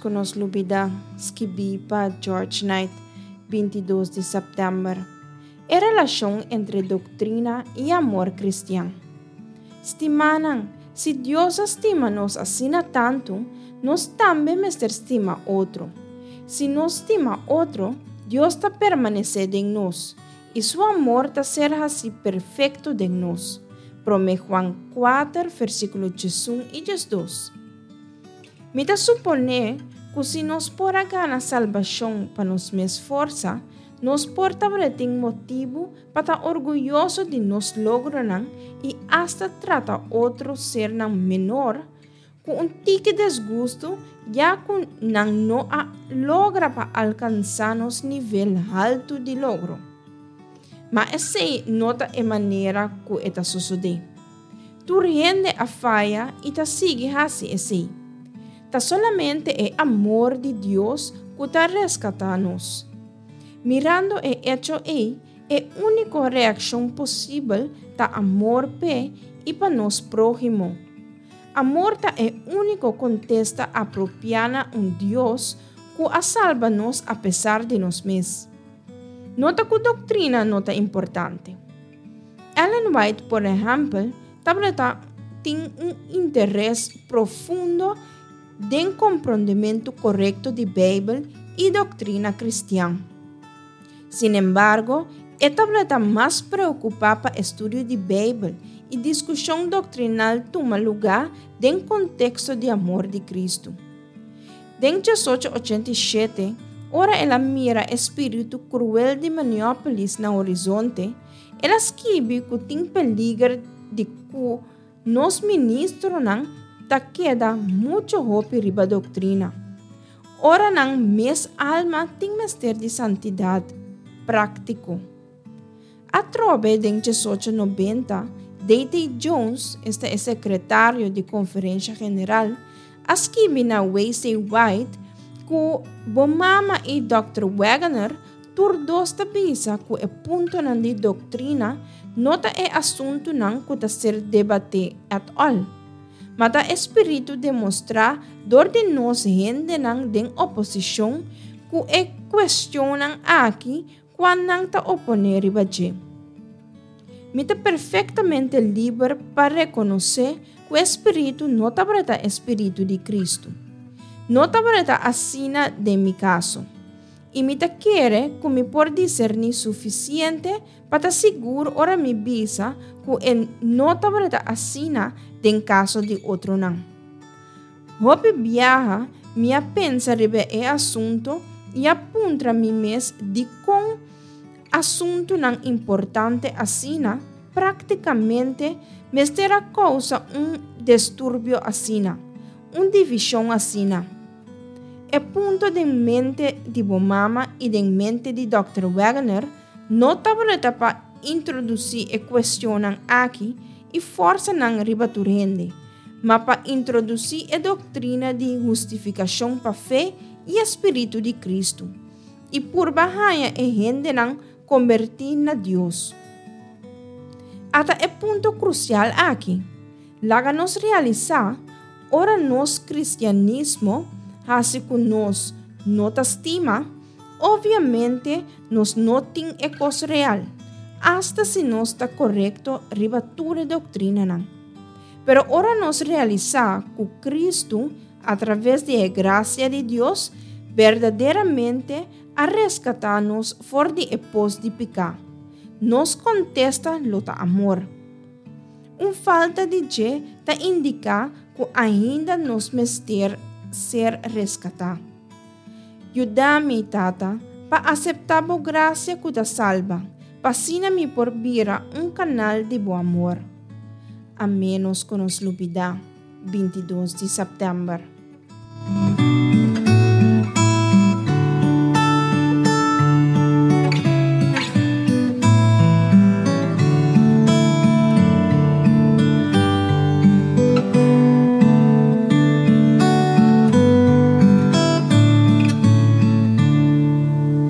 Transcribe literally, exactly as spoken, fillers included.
ku nos lubidá, skibí pa George Knight, binti dos di sèptèmber. E relashon entre doktrina i amor kristian. Stimánan, si Dios a stima nos asina tantu, nos tambe mester stima otro. Si nos stima otro, Dios ta permanesé den nos, i su amor ta ser hasí perfekto den nos. Promé Juan kuater, versíkulo diesun i diesdos. Mi ta suponé ku si nos por a gana salbashon pa nos mes forsa, nos por tabatin motibu pa ta orguyoso di nos logronan i asta trata otro sernan menor ku un tiki desgustu ya ku nan no a logra pa alkansá nos nivel haltu di logro. Ma esei no ta e manera ku e ta sosodé. Tur hende a faya i ta sigui hasi esei. Ta solamente e amor di Dios ku ta reskatá nos. Mirando e echo ei, e úniko reakshon posibel ta amor p'e i pa nos próhimo. Amor ta e úniko kontesta apropiá na un Dios ku a salba nos apesar di nos mes. No ta ku doktrina no ta importante. Ellen White, por ehèmpel, tabata tin un interes profundo den komprondementu korekto di Beibel i doktrina kristian. Sin embargo, e tabata mas preokupá pa estudio di Beibel i diskushon doktrinal tuma lugá den konteksto di amor di Kristu. Den diesocho ochenta i shete, ora el a mira e spiritu kruel di Minneapolis na horizonte, el a skibi ku tin peliger di ku nos ministronan ta keda muchu hopi riba doktrina. Ora nan mes alma tin mester di santidat práktiko. Atrobe den diesocho nobenta, D T Jones, esta e sekretario di Konferensha General, a skibi na W C White ku bo mama i dòkter Waggoner tur dos ta bisa ku e puntonan di doktrina no ta e asuntunan ku ta ser debatí at all. Ma ta e spiritu demostrá dor di nos hendenan den oposishon ku e kuestionnan aki kua nan ta oponé riba dje. Mi ta perfektamente liber pa rekonosé ku e spiritu no tabata e spiritu di Kristu. No tabata asina den mi kaso. I mi ta kere ku mi por diserní sufisiente pa ta sigur ora mi bisa ku e no tabata asina den kaso di otronan. Hopi biaha mi a pensa riba e asuntu i a puntra mi mes dikon asuntunan importante asina práktikamente mester a kousa un disturbio asina, un divishon asina. E punto den mente di bo mama i den mente di dòkter Waggoner no tabata pa introdusí e kuestionnan aki i forsa nan riba tur hende, ma pa introdusí e doktrina di hustifikashon pa fe i e spiritu di Kristu, i purba haña e hendenan kombertí na Dios. Ata e punto krusial aki. Laga nos realisá, ora nos kristianismo hasi ku nos no ta stima, obviamente nos no tin e kos real, asta si nos ta korekto riba tur e doktrinanan. Pero ora nos realisá ku Kristu, a traves di e grasia di Dios, berdaderamente a reskatá nos for di e pos di piká, nos kontesta lo ta amor. Un falta di dje ta indiká ku ainda nos mester ser reskatá. Yuda mi, Tata, pa aseptá bo grasia ku ta salba, pa asina mi por bira un kanal di bo amor. A ménos ku nos lubidá, bintidos di sèptèmber.